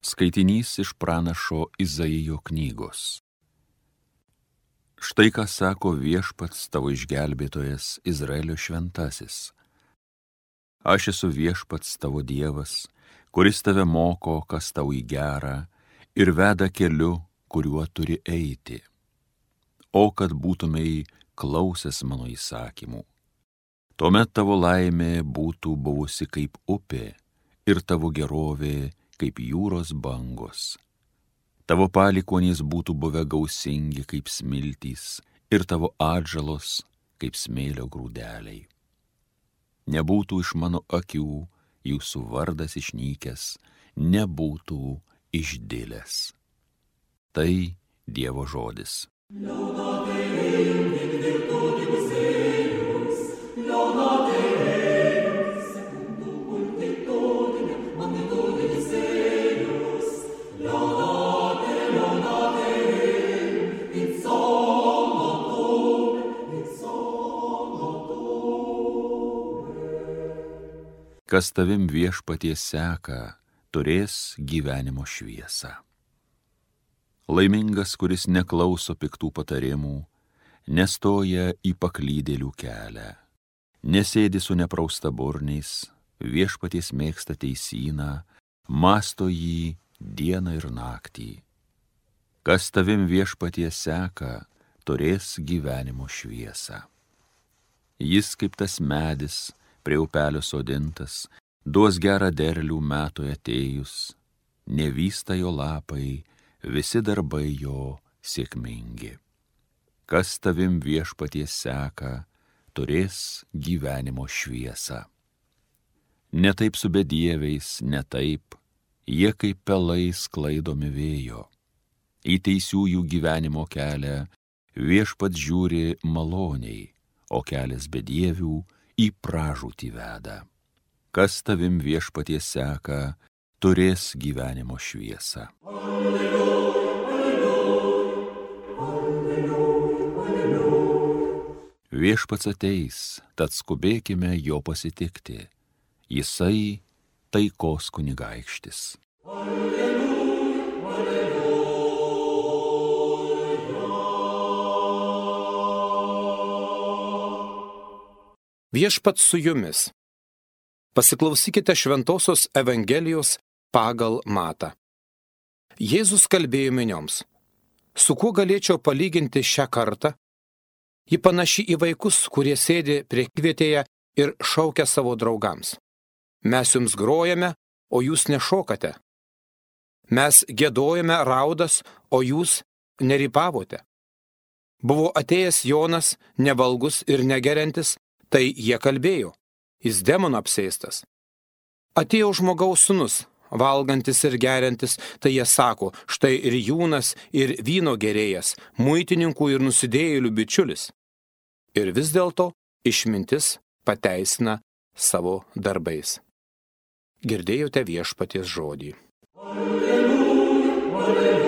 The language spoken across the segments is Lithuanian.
Skaitinys iš pranašo Izaijo knygos. Štai ką sako Viešpats tavo išgelbėtojas Izraelio šventasis. Aš esu Viešpats tavo Dievas, kuris tave moko, kas tau į gerą, ir veda keliu, kuriuo turi eiti. O kad būtumei klausęs mano įsakymų, tuomet tavo laimė būtų buvusi kaip upė ir tavo gerovė kaip jūros bangos. Tavo palikuonys būtų buvę gausingi kaip smiltys ir tavo atžalos kaip smėlio grūdeliai. Nebūtų iš mano akių jūsų vardas išnykęs, nebūtų išdilęs. Tai Dievo žodis. Kas tavim Viešpaties seka, turės gyvenimo šviesą. Laimingas, kuris neklauso piktų patarimų, nestoja į paklydėlių kelią, nesėdi su nepraustaburniais, Viešpaties mėgsta teisyną, mąsto jį dieną ir naktį. Kas tavim Viešpaties seka, turės gyvenimo šviesą. Jis kaip tas medis, prie upelio sodintas, duos gerą derlių metui atėjus, nevysta jo lapai, visi darbai jo sėkmingi. Kas tavim Viešpaties seka, turės gyvenimo šviesą. Ne taip su bedieviais, ne taip, jie kaip pelai sklaidomi vėjo. Į teisiųjų gyvenimo kelią Viešpats žiūri maloniai, o kelias bedievių į pražūtį veda. Kas tavim Viešpaties seka, turės gyvenimo šviesą. Alleluja, alleluja, alleluja. Viešpats ateis, tad skubėkime jo pasitikti. Jisai taikos kunigaikštis. Alleluja, alleluja. Viešpats su jumis. Pasiklausykite Šventosios Evangelijos pagal Matą. Jėzus kalbėjo minioms. Su kuo galėčiau palyginti šią kartą? Ji panaši į vaikus, kurie sėdi priekvietėje ir šaukia savo draugams. Mes jums grojame, o jūs nešokate. Mes giedojame raudas, o jūs nerypavote. Buvo atėjęs Jonas, nevalgus ir negeriantis, tai jie kalbėjo, jis demonų apsėstas. Atėjo žmogaus sūnus, valgantis ir geriantis, tai jie sako, štai ir jūnas, ir vyno gerėjas, muitininkų ir nusidėjėlių bičiulis. Ir vis dėlto išmintis pateisina savo darbais. Girdėjote Viešpaties žodį. Alleluja, alleluja.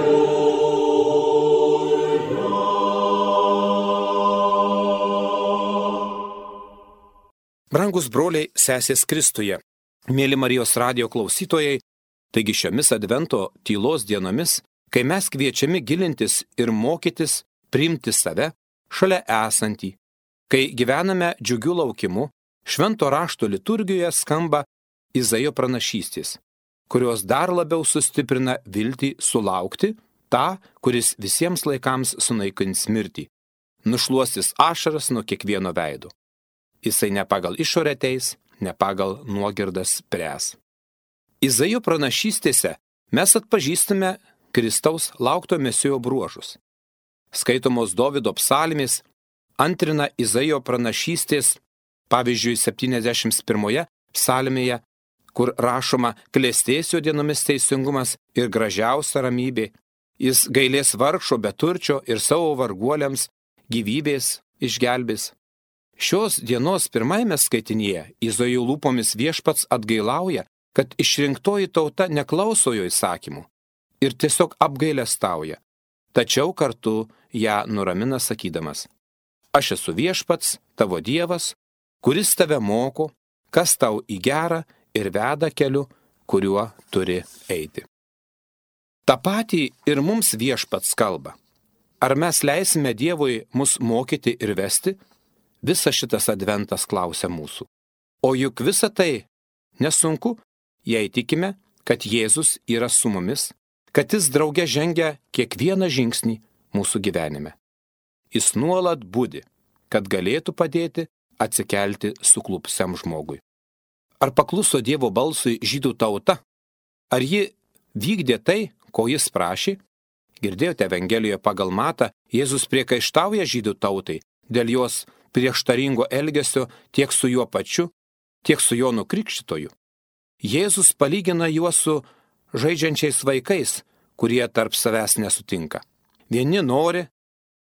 Brangus broliai, sesės Kristuje, mėly Marijos radijo klausytojai, taigi šiomis Advento tylos dienomis, kai mes kviečiami gilintis ir mokytis priimti save šalia esantį, kai gyvename džiugiu laukimu, švento rašto liturgijoje skamba Izaijo pranašystės, kurios dar labiau sustiprina viltį sulaukti tą, kuris visiems laikams sunaikins mirtį, nušluostys ašaras nuo kiekvieno veido. Jisai ne pagal išorę teis, ne pagal nuogirdas spręs. Izaijo pranašystėse mes atpažįstame Kristaus laukto Mesijo bruožus. Skaitomos Dovydo psalmės antrina Izaijo pranašystės, pavyzdžiui, 71 psalmėje, kur rašoma klestės jo dienomis teisingumas ir gražiausia ramybė. Jis gailės vargšo beturčio ir savo varguoliams gyvybės išgelbės. Šios dienos pirmajame skaitinyje Izaijo lūpomis Viešpats atgailauja, kad išrinktoji tauta neklauso jo įsakymų ir tiesiog apgailestauja, tačiau kartu ją nuramina sakydamas: Aš esu Viešpats, tavo Dievas, kuris tave moko, kas tau į gerą ir veda keliu, kuriuo turi eiti. Ta patį ir mums Viešpats kalba. Ar mes leisime Dievui mus mokyti ir vesti? Visas šitas adventas klausia mūsų. O juk visa tai nesunku, jei tikime, kad Jėzus yra su mumis, kad Jis drauge žengia kiekvieną žingsnį mūsų gyvenime. Jis nuolat budi, kad galėtų padėti atsikelti suklupsiam žmogui. Ar pakluso Dievo balsui žydų tauta? Ar ji vykdė tai, ko Jis prašė? Girdėjote Evangelijoje pagal Matą, Jėzus priekaištauja žydų tautai dėl jos prieštaringo elgesio tiek su juo pačiu, tiek su Jonu Krikštytoju. Jėzus palygina juos su žaidžiančiais vaikais, kurie tarp savęs nesutinka. Vieni nori,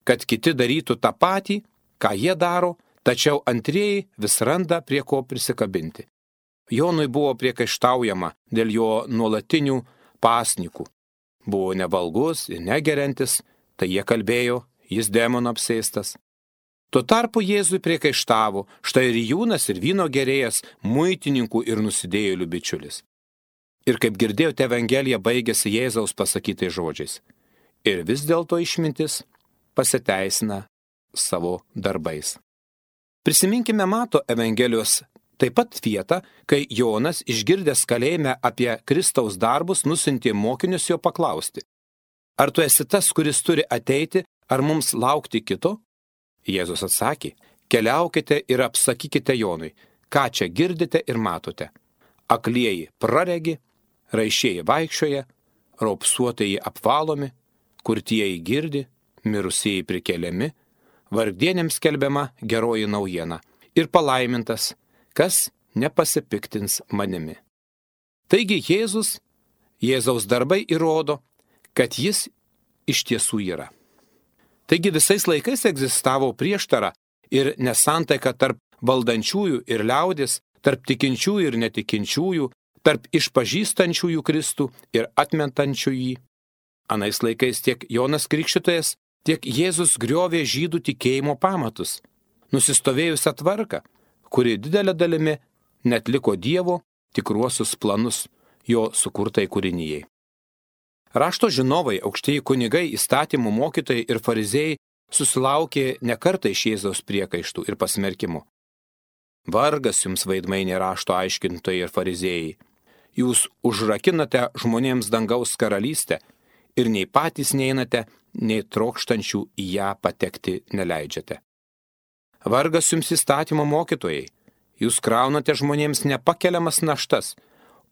kad kiti darytų tą patį, ką jie daro, tačiau antrieji vis randa prie ko prisikabinti. Jonui buvo priekaištaujama dėl jo nuolatinių pasnikų. Buvo nevalgus ir negeriantis, tai jie kalbėjo, jis demono apsėstas. Tuo tarpu Jėzui priekaištavo štai rijūnas ir vyno gerėjas, muitininkų ir nusidėjėlių bičiulis. Ir kaip girdėjote, Evangelija baigėsi Jėzaus pasakytais žodžiais. Ir vis dėlto išmintis pasiteisina savo darbais. Prisiminkime Mato Evangelijos taip pat vietą, kai Jonas, išgirdęs kalėjime apie Kristaus darbus, nusiuntė mokinius jo paklausti: ar tu esi tas, kuris turi ateiti, ar mums laukti kito? Jėzus atsakė: keliaukite ir apsakykite Jonui, ką čia girdite ir matote. Aklieji praregi, raišieji vaikščioja, raupsuotieji apvalomi, kurtieji girdi, mirusieji prikeliami, vargdienėms skelbiama geroji naujiena ir palaimintas, kas nepasipiktins manimi. Taigi Jėzaus darbai įrodo, kad Jis iš tiesų yra. Taigi visais laikais egzistavo prieštara ir nesantaika tarp valdančiųjų ir liaudės, tarp tikinčiųjų ir netikinčiųjų, tarp išpažįstančiųjų Kristų ir atmetančių jį. Anais laikais tiek Jonas Krikštytojas, tiek Jėzus griovė žydų tikėjimo pamatus, nusistovėjusią tvarką, kuri didelė dalimi neatliko Dievo tikruosius planus jo sukurtai kūrinijai. Rašto žinovai, aukštieji kunigai, įstatymų mokytojai ir farizėjai susilaukė nekartą iš Jėzaus priekaištų ir pasmerkimų. Vargas jums, veidmainiai rašto aiškintojai ir fariziejai. Jūs užrakinate žmonėms dangaus karalystę ir nei patys neinate, nei trokštančių į ją patekti neleidžiate. Vargas jums įstatymo mokytojai. Jūs kraunate žmonėms nepakeliamas naštas,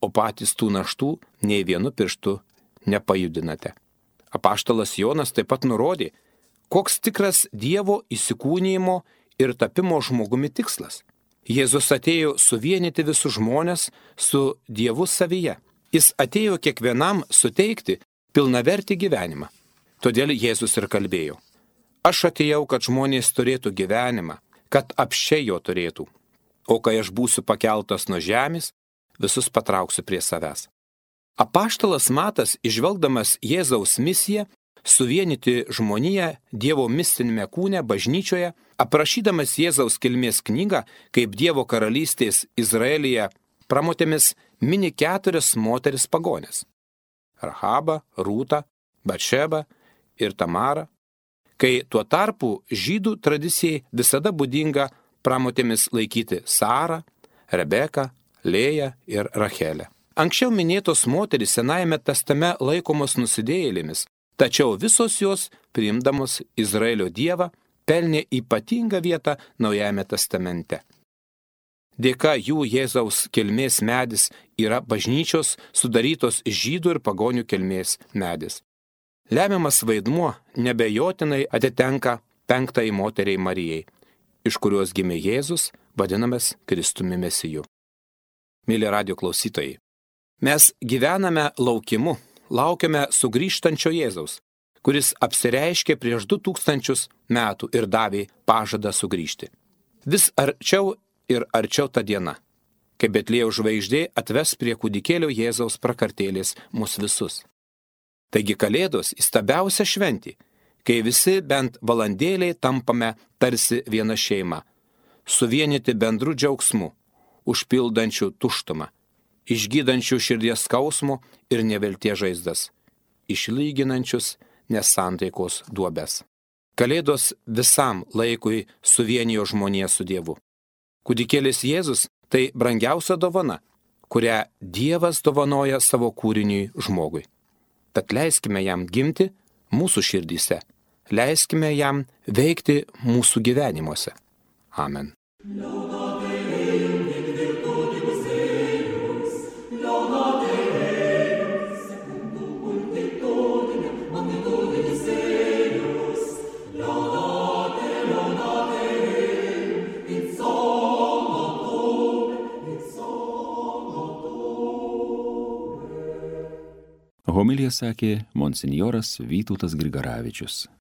o patys tų naštų nei vienu pirštu nepajudinate. Apaštalas Jonas taip pat nurodė, koks tikras Dievo įsikūnijimo ir tapimo žmogumi tikslas. Jėzus atėjo suvienyti visus žmones su Dievu savyje. Jis atėjo kiekvienam suteikti pilnavertį gyvenimą. Todėl Jėzus ir kalbėjo: aš atėjau, kad žmonės turėtų gyvenimą, kad apsčiai jo turėtų. O kai aš būsiu pakeltas nuo žemės, visus patrauksiu prie savęs. Apaštalas Matas, išvelgdamas Jėzaus misiją, suvienyti žmoniją Dievo mistinėme kūne bažnyčioje, aprašydamas Jėzaus kilmės knygą, kaip Dievo karalystės Izraelyje pramotėmis mini 4 moteris pagonės: Rahabą, Rūtą, Batšebą ir Tamarą, kai tuo tarpu žydų tradicijai visada būdinga pramotėmis laikyti Sarą, Rebeką, Lėją ir Rachelę. Anksčiau minėtos moterys Senajame testamente laikomos nusidėjėlėmis, tačiau visos jos, priimdamos Izraelio Dievą, pelnė ypatingą vietą Naujajame testamente. Dėka jų Jėzaus kilmės medis yra bažnyčios sudarytos žydų ir pagonių kilmės medis. Lemiamas vaidmuo nebejotinai atitenka 5 moteriai Marijai, iš kurios gimė Jėzus, vadinamas Kristumi Mesiju. Mėly radijo klausytojai, mes gyvename laukimu, laukiame sugrįžtančio Jėzaus, kuris apsireiškė prieš 2000 metų ir davė pažadą sugrįžti. Vis arčiau ir arčiau ta diena, kai Betliejaus žvaigždė atves prie kūdikėlio Jėzaus prakartėlės mus visus. Taigi Kalėdos įstabiausia šventė, kai visi bent valandėliai tampame tarsi viena šeima, suvienyti bendru džiaugsmu, užpildančių tuštumą, išgydančių širdies skausmo ir nevilties žaizdas. išlyginančius nesantaikos duobes. Kalėdos visam laikui suvienijo žmoniją su Dievu. Kūdikėlis Jėzus tai brangiausia dovana, kurią Dievas dovanoja savo kūriniui žmogui. Tad leiskime jam gimti mūsų širdyse, leiskime jam veikti mūsų gyvenimuose. Amen. Homiliją sakė monsinjoras Vytautas Grigaravičius.